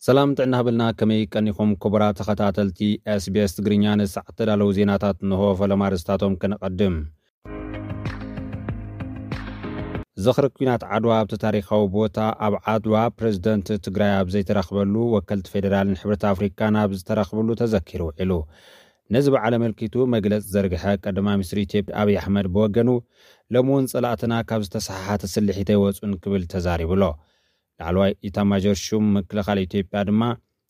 ሰላም ጥዕና ሃበልና፣ ከመይ ቀኒኹም ክቡራት ተኸታተልቲ ኤስቢኤስ ትግርኛ? ንሰዓት ተዳለዉ ዜናታት እንሆ። ፈለማ ኣርእስታቶም ከነቐድም። ዝኽሪ ኲናት ዓድዋ ኣብቲ ታሪኻዊ ቦታ ኣብ ዓድዋ ፕሬዝደንት ትግራይ ኣብ ዘይተረኽበሉ፣ ወከልቲ ፌዴራልን ሕብረት ኣፍሪካን ኣብ ዝተረኽብሉ ተዘኪሩ ውዒሉ። ነዚ በዓል ኣመልኪቱ መግለፂ ዘርግሐ ቀዳማይ ሚኒስትር ኢትዮጵያ ኣብይ ኣሕመድ ብወገኑ፣ ሎሚ እውን ፀላእትና ካብ ዝተሰሓሓተ ስልሒት ኣይወፁን ክብል ተዛሪቡ ኣሎ። ላዕለዋይ ኢታማዦር ሹም ምክልኻል ኢትዮጵያ ድማ፣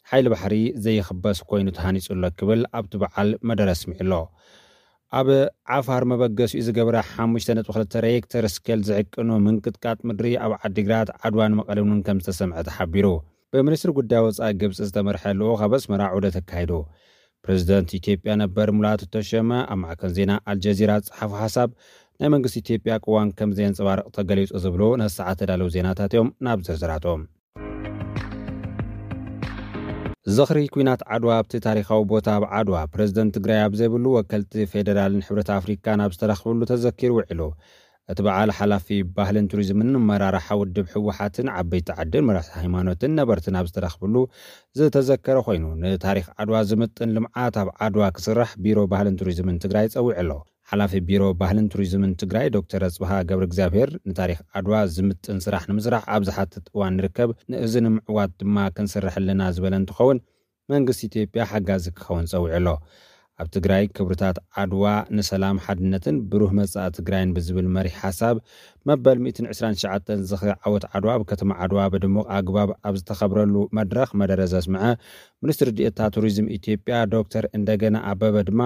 ሓይሊ ባሕሪ ዘይኽበስ ኮይኑ ተሃኒፁ ኣሎ ክብል ኣብቲ በዓል መደረ ኣስሚዑ ኣሎ። ኣብ ዓፋር መበገሲኡ ዝገበረ ሓሙሽተ ነጥቢ ክልተ ሬክተር ስኬል ዝዕቅኑ ምንቅጥቃጥ ምድሪ ኣብ ዓዲግራት፣ ዓድዋን መቐለን እውን ከም ዝተሰምዐ ተሓቢሩ። ብሚኒስትሪ ጉዳይ ወፃኢ ግብፂ ዝተመርሐ ልኡኽ ኣብ ኣስመራ ዑደት ኣካይዱ። ፕሬዝደንት ኢትዮጵያ ነበር ሙላቱ ተሸመ ኣብ ማዕከን ዜና ኣልጀዚራ ዝፀሓፎ ሓሳብ፣ ናይ መንግስቲ ኢትዮጵያ ቅዋም ከም ዘየንፀባርቕ ተገሊጹ ዝብሉ ነሰዓት ተዳለዉ ዜናታት እዮም። ናብ ዝርዝራቶም። ዝኽሪ ኲናት ዓድዋ ኣብቲ ታሪኻዊ ቦታ ኣብ ዓድዋ፣ ፕሬዝደንት ትግራይ ኣብ ዘይብሉ፣ ወከልቲ ፌዴራልን ሕብረት ኣፍሪካን ኣብ ዝተረኽብሉ ተዘኪሩ ውዒሉ። እቲ በዓል ሓላፊ ባህልን ቱሪዝምን መራርሓ ውድብ ህወሓትን ዓበይቲ ዓድን መራሕቲ ሃይማኖትን ነበርትን ኣብ ዝተረኽብሉ ዝተዘከረ ኮይኑ፣ ንታሪኽ ዓድዋ ዝምጥን ልምዓት ኣብ ዓድዋ ክስራሕ ቢሮ ባህልን ቱሪዝምን ትግራይ ጸዊዑ ኣሎ። ሓላፊ ቢሮ ባህልን ቱሪዝምን ትግራይ ዶክተር ኣጽብሃ ገብረ እግዚኣብሔር፣ ንታሪኽ ዓድዋ ዝምጥን ስራሕ ንምስራሕ ኣብ ዝሓትት እዋን ንርከብ፣ ንእዚ ንምዕዋት ድማ ክንሰርሕ ኣለና ዝበለ እንትኸውን፣ መንግስቲ ኢትዮጵያ ሓጋዚ ክኸውን ጸዊዑ ኣሎ። ኣብ ትግራይ ክብርታት ዓድዋ ንሰላም፣ ሓድነትን ብሩህ መጻኢ ትግራይን ብዝብል መሪሕ ሓሳብ፣ መበል ሚእትን ዕስራን ትሽዓተን ዝኽሪ ዓወት ዓድዋ ኣብ ከተማ ዓድዋ ብድሙቕ ኣግባብ ኣብ ዝተኸብረሉ መድረኽ መደረ ዘስምዐ ሚኒስትር ዲኤታ ቱሪዝም ኢትዮጵያ ዶክተር እንደገና ኣበበ ድማ፣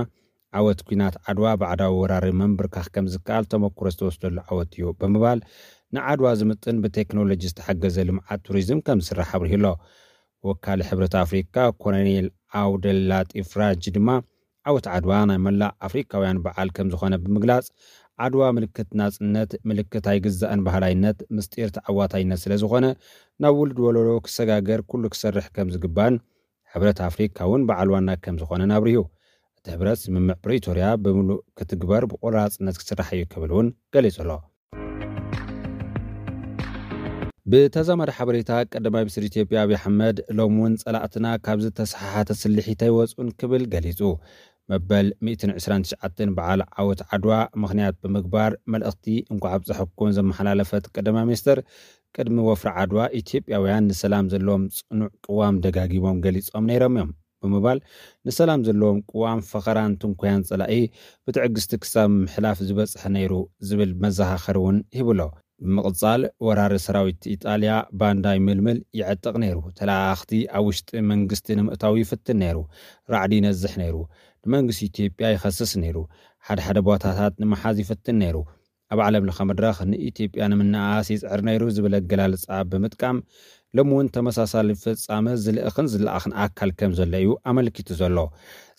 ዓወት ኲናት ዓድዋ ባዕዳዊ ወራሪ ምንብርካኽ ከም ዝከኣል ተመኩሮ ዝተወስደሉ ዓወት እዩ ብምባል፣ ንዓድዋ ዝምጥን ብቴክኖሎጂ ዝተሓገዘ ልምዓት ቱሪዝም ከም ዝስራሕ ኣብሪሁ ኣሎ። ወካሊ ሕብረት ኣፍሪካ ኮሎኔል ኣውደል ላጢፍ ራጅ ድማ፣ ዓወት ዓድዋ ናይ መላእ ኣፍሪካውያን በዓል ከም ዝኾነ ብምግላጽ፣ ዓድዋ ምልክት ናጽነት፣ ምልክት ኣይግዛእን ባህላይነት፣ ምስጢር ተዓዋታይነት ስለ ዝኾነ፣ ናብ ውሉድ ወለዶ ክሰጋገር ኩሉ ክሰርሕ ከም ዝግባን፣ ሕብረት ኣፍሪካ እውን በዓል ዋና ከም ዝኾነን ኣብሪሁ። እቲ ሕብረት ስምምዕ ፕሪቶርያ ብምሉእ ክትግበር ብቆራፅነት ክስራሕ እዩ ክብል እውን ገሊጹ ኣሎ። ብተዛማዲ ሓበሬታ፣ ቀዳማይ ሚኒስትር ኢትዮጵያ ኣብይ ኣሕመድ ሎም እውን ጸላእትና ካብ ዝተሰሓሓተ ስልሒት ኣይወጹን ክብል ገሊጹ። መበል ሚእትን ዕስራን ትሽዓተን በዓል ዓወት ዓድዋ ምኽንያት ብምግባር፣ መልእኽቲ እንኳዕ ኣብፀሐኩም ዘመሓላለፈት ቀዳማይ ሚኒስትር፣ ቅድሚ ወፍሪ ዓድዋ ኢትዮጵያውያን ንሰላም ዘለዎም ጽኑዕ ቅዋም ደጋጊሞም ገሊጾም ነይሮም እዮም ብምባል፣ ንሰላም ዘለዎም ቅዋም ፈኸራን ትንኮያን ጸላኢ ብትዕግስቲ ክሳብ ምሕላፍ ዝበጽሐ ነይሩ ዝብል መዘኻኸሪ እውን ሂቡ ኣሎ። ብምቕጻል፣ ወራሪ ሰራዊት ኢጣልያ ባንዳ ይምልምል፣ ይዕጥቕ ነይሩ። ተለኣኣኽቲ ኣብ ውሽጢ መንግስቲ ንምእታው ይፍትን ነይሩ። ራዕዲ ይነዝሕ ነይሩ። ንመንግስቲ ኢትዮጵያ ይኸስስ ነይሩ። ሓደ ሓደ ቦታታት ንምሓዝ ይፍትን ነይሩ። ኣብ ዓለም ለኸ መድረኽ ንኢትዮጵያ ንምንኣኣስ ይጽዕር ነይሩ ዝብል ኣገላልጻ ብምጥቃም፣ ሎሚ እውን ተመሳሳሊ ፍጻመ ዝልእኽን ዝለኣኽን ኣካል ከም ዘሎ እዩ ኣመልኪቱ ዘሎ።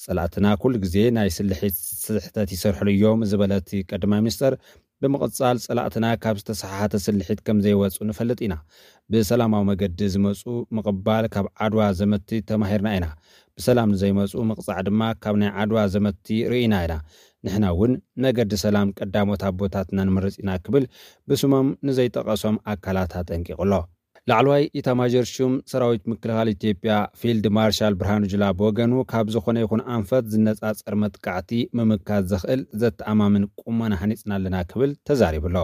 ጸላእትና ኩሉ ግዜ ናይ ስልሒት ስሕተት ይሰርሕሉ እዮም ዝበለ እቲ ቀዳማይ ሚኒስተር፣ ብምቕጻል፣ ጸላእትና ካብ ዝተሰሓሓተ ስልሒት ከም ዘይወጹ ንፈልጥ ኢና። ብሰላማዊ መገዲ ዝመጹ ምቕባል፣ ካብ ዓድዋ ዘመቲ ተማሂርና ኢና። ብሰላም ንዘይመጹ ምቕጻዕ ድማ ካብ ናይ ዓድዋ ዘመቲ ርኢና ኢና። ንሕና እውን መገዲ ሰላም ቀዳሞት ኣቦታትና ንምርጽ ኢና ክብል ብስሞም ንዘይጠቐሶም ኣካላት ኣጠንቂቑ ኣሎ። ላዕለዋይ ኢታማዦር ሹም ሰራዊት ምክልኻል ኢትዮጵያ ፊልድ ማርሻል ብርሃኑ ጁላ ብወገኑ፣ ካብ ዝኾነ ይኹን ኣንፈት ዝነጻጸር መጥቃዕቲ ምምካት ዘኽእል ዘተኣማምን ቁመና ሃኒጽና ኣለና ክብል ተዛሪቡ ኣሎ።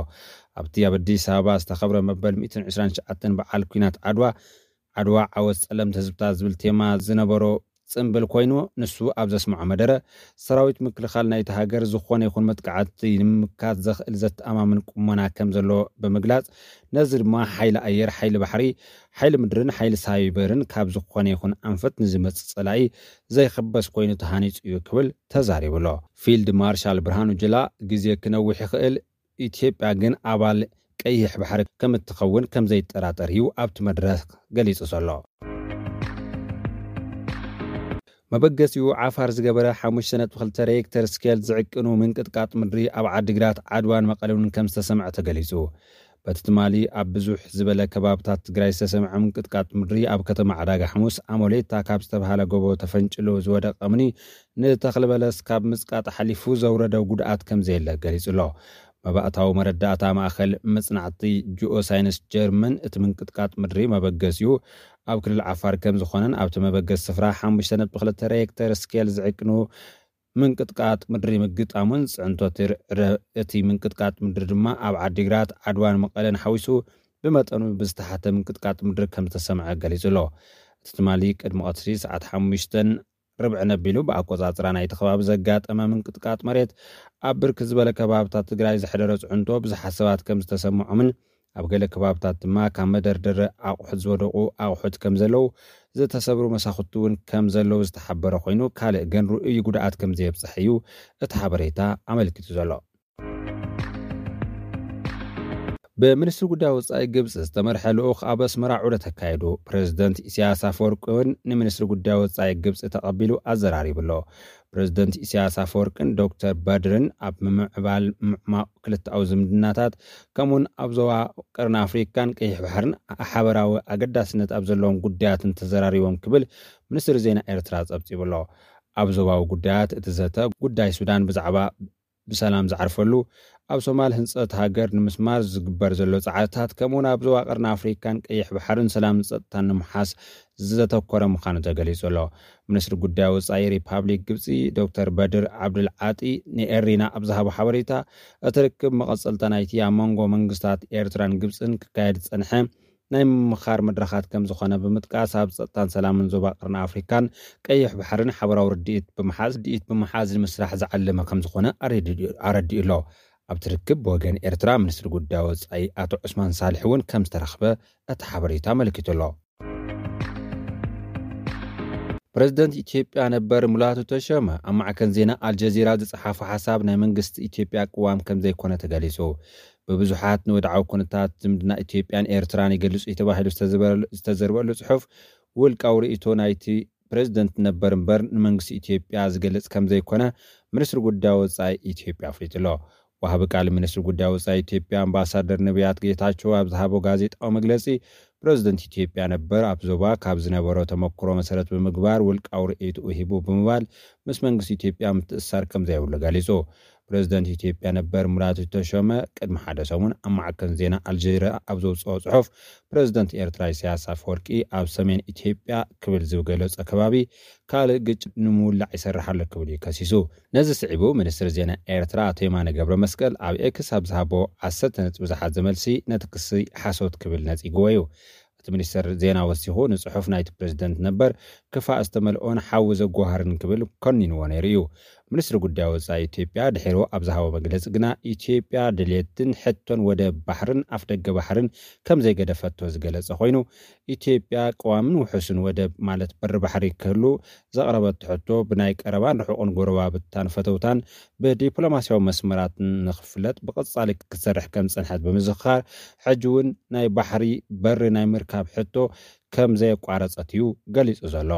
ኣብቲ ኣብ ኣዲስ ኣበባ ዝተኸብረ መበል ሚእትን ዕስራን ትሽዓተን በዓል ኲናት ዓድዋ፣ ዓድዋ ዓወት ጸለምቲ ህዝብታት ዝብል ቴማ ዝነበሮ ጽምብል ኮይኑ፣ ንሱ ኣብ ዘስምዖ መደረ፣ ሰራዊት ምክልኻል ናይታ ሃገር ዝኾነ ይኹን መጥቃዕቲ ንምምካት ዘኽእል ዘተኣማምን ቁመና ከም ዘለዎ ብምግላጽ፣ ነዚ ድማ ሓይሊ ኣየር፣ ሓይሊ ባሕሪ፣ ሓይሊ ምድርን ሓይሊ ሳይበርን ካብ ዝኾነ ይኹን ኣንፈት ንዝመጽእ ጸላኢ ዘይኽበስ ኮይኑ ተሃኒጹ እዩ ክብል ተዛሪቡ ኣሎ። ፊልድ ማርሻል ብርሃኑ ጁላ፣ ግዜ ክነውሕ ይኽእል፣ ኢትዮጵያ ግን ኣባል ቀይሕ ባሕሪ ከም እትኸውን ከም ዘይጠራጠር እዩ ኣብቲ መድረኽ ገሊጹ ዘሎ። መበገሲኡ ዓፋር ዝገበረ ሓሙሽተ ነጥቢ ክልተ ሬክተር ስኬል ዝዕቅኑ ምንቅጥቃጥ ምድሪ ኣብ ዓዲግራት፣ ዓድዋን መቐለን ከም ዝተሰምዐ ተገሊጹ። በቲ ትማሊ ኣብ ብዙሕ ዝበለ ከባብታት ትግራይ ዝተሰምዐ ምንቅጥቃጥ ምድሪ፣ ኣብ ከተማ ዕዳጋ ሓሙስ ኣሞሌታ ካብ ዝተባሃለ ጎቦ ተፈንጭሉ ዝወደቀ እምኒ ንተኽሊ በለስ ካብ ምጽቃጥ ሓሊፉ ዘውረደ ጉድኣት ከም ዘየለ ገሊጹ ኣሎ። መባእታዊ መረዳእታ ማእኸል መጽናዕቲ ጂኦሳይንስ ጀርመን፣ እቲ ምንቅጥቃጥ ምድሪ መበገሲኡ ኣብ ክልል ዓፋር ከም ዝኾነን ኣብቲ መበገሲ ስፍራ ሓሙሽተ ነጥቢ ክልተ ሬክተር ስኬል ዝዕቅኑ ምንቅጥቃጥ ምድሪ ምግጣሙን፣ ጽዕንቶ እቲ ር-፣ ረ-፣ እቲ ምንቅጥቃጥ ምድሪ ድማ ኣብ ዓዲግራት፣ ዓድዋን መቐለን ሓዊሱ ብመጠኑ ብዝተሓተ ምንቅጥቃጥ ምድሪ ከም ዝተሰምዐ ገሊጹ ኣሎ። እቲ ትማሊ ቅድሚ ቀትሪ ሰዓት ሓሙሽተን ርብዕን ኣቢሉ ብኣቆጻጽራ ናይቲ ከባቢ ዘጋጠመ ምንቅጥቃጥ መሬት፣ ኣብ ብርክ ዝበለ ከባብታት ትግራይ ዘሕደረ ጽዕንቶ ብዙሓት ሰባት ከም ዝተሰምዖምን፣ ኣብ ገለ ከባብታት ድማ ካብ መደርደሪ ኣቑሑት ዝወደቑ ኣቑሑት ከም ዘለዉ፣ ዝተሰብሩ መሳኹቲ እውን ከም ዘለዉ ዝተሓበረ ኮይኑ፣ ካልእ ግን ርኡይ ጉድኣት ከም ዘየብጽሐ እዩ እቲ ሓበሬታ ኣመልኪቱ ዘሎ። ብሚኒስትሪ ጉዳይ ወጻኢ ግብጺ ዝተመርሐ ልኡኽ ኣብ ኣስመራ ዑደት ኣካየዱ። ፕሬዚደንት ኢሳያስ ኣፈወርቂ እውን ንሚኒስትሪ ጉዳይ ወጻኢ ግብጺ ተቐቢሉ ኣዘራሪቡ ኣሎ። ፕሬዚደንት ኢሳያስ ኣፈወርቅን ዶክተር በድርን ኣብ ምምዕባል ምዕማቕ ክልተኣዊ ዝምድናታት፣ ከምኡውን ኣብ ዞባ ቀርኒ ኣፍሪካን ቀይሕ ባሕርን ሓበራዊ ኣገዳስነት ኣብ ዘለዎም ጉዳያትን ተዘራሪቦም ክብል ሚኒስትሪ ዜና ኤርትራ ጸብጺቡ ኣሎ። ኣብ ዞባዊ ጉዳያት እቲ ዘተ፣ ጉዳይ ሱዳን ብዛዕባ ብሰላም ዝዓርፈሉ፣ ኣብ ሶማል ህንጸት ሃገር ንምስማር ዝግበር ዘሎ ጻዕርታት፣ ከምኡውን ኣብ ዞባ ቀርኒ ኣፍሪካን ቀይሕ ባሕርን ሰላምን ጸጥታን ንምሓዝ ዘተኮረ ምዃኑ ተገሊጹ ኣሎ። ሚኒስትሪ ጉዳይ ወጻኢ ሪፓብሊክ ግብጺ ዶክተር በድር ዓብዱል ዓጢ ንኤሪና ኣብ ዝሃቦ ሓበሬታ፣ እቲ ርክብ መቐጸልታ ናይቲ ኣብ መንጎ መንግስታት ኤርትራን ግብጽን ክካየድ ዝጸንሐ ናይ ምምኻር መድረኻት ከም ዝኾነ ብምጥቃስ፣ ኣብ ጸጥታን ሰላምን ዞባ ቀርኒ ኣፍሪካን ቀይሕ ባሕርን ሓበራዊ ርድኢት ብምሓዝ፣ ርድኢት ብምሓዝ ንምስራሕ ዝዓለመ ከም ዝኾነ ኣረዲኡ፣ ኣረዲኡ ኣሎ። ኣብቲ ርክብ ብወገን ኤርትራ ሚኒስትሪ ጉዳይ ወጻኢ ኣቶ ዑስማን ሳልሕ እውን ከም ዝተረኽበ እቲ ሓበሬታ ኣመልኪቱ ኣሎ። ፕሬዚደንት ኢትዮጵያ ነበር ሙላቱ ተሾመ ኣብ ማዕከን ዜና ኣልጀዚራ ዝጸሓፎ ሓሳብ ናይ መንግስቲ ኢትዮጵያ ቅዋም ከም ዘይኮነ ተገሊጹ። ብብዙሓት ንወድዓዊ ኩነታት ዝምድና ኢትዮጵያን ኤርትራን ይገልጹ እዩ ተባሂሉ ዝተዘበረሉ-፣ ዝተዘርበሉ ጽሑፍ ውልቃዊ ርእይቶ ናይቲ ፕሬዚደንት ነበር እምበር ንመንግስቲ ኢትዮጵያ ዝገልጽ ከም ዘይኮነ ሚኒስትሪ ጉዳይ ወጻኢ ኢትዮጵያ ኣፍሊጡ ኣሎ። ወሃቢ ቃል ሚኒስትሪ ጉዳይ ወጻኢ ኢትዮጵያ ኣምባሳደር ነቢያት ጌታቸው ኣብ ዝሃቦ ጋዜጣዊ መግለጺ፣ ፕሬዚደንት ኢትዮጵያ ነበር ኣብ ዞባ ካብ ዝነበሮ ተመክሮ መሰረት ብምግባር ውልቃዊ ርእይትኡ ሂቡ ብምባል፣ ምስ መንግስቲ ኢትዮጵያ ምትእስሳር ከም ዘይብሉ ገሊጹ። ፕሬዚደንት ኢትዮጵያ ነበር ሙላቱ ተሾመ ቅድሚ ሓደ ሰሙን ኣብ ማዕከን ዜና ኣልጀዚራ ኣብ ዘውጽኦ ጽሑፍ፣ ፕሬዚደንት ኤርትራ ኢሳያስ ኣፈወርቂ ኣብ ሰሜን ኢትዮጵያ ክብል ዝገለጾ ከባቢ ካልእ ግጭት ንምውላዕ ይሰርሕ ኣሎ ክብል እዩ ከሲሱ። ነዚ ስዒቡ፣ ሚኒስትሪ ዜና ኤርትራ ኣቶ የማነ ገብረ መስቀል ኣብ ኤክስ ኣብ ዝሃቦ ዓሰርተ ነጥቢ ዝሓዘ መልሲ፣ ነቲ ክሲ ሓሶት ክብል ነጺግዎ እዩ። እቲ ሚኒስትር ዜና ወሲኹ፣ ንጽሑፍ ናይቲ ፕሬዚደንት ነበር ክፋእ ዝተመልኦን ሓዊ ዘጓሃርን ክብል ኮኒንዎ ነይሩ እዩ። ሚኒስትሪ ጉዳይ ወጻኢ ኢትዮጵያ ድሒሩ ኣብ ዝሃቦ መግለጺ ግና፣ ኢትዮጵያ ድልየትን ሕቶን ወደብ ባሕርን ኣፍደገ ባሕርን ከም ዘይገደፈቶ ዝገለጸ ኮይኑ፣ ኢትዮጵያ ቅዋምን ውሑስን ወደብ፣ ማለት በሪ ባሕሪ ክህሉ ዘቕረበቶ ሕቶ፣ ብናይ ቀረባን ርሑቕን ጎረባብታን ፈተውታን ብዲፕሎማስያዊ መስመራትን ንኽፍለጥ ብቐጻሊ ክትሰርሕ ከም ዝጸንሐት ብምዝኽኻር፣ ሕጂ እውን ናይ ባሕሪ በሪ ናይ ምርካብ ሕቶ ከም ዘየቋረጸት እዩ ገሊጹ ዘሎ።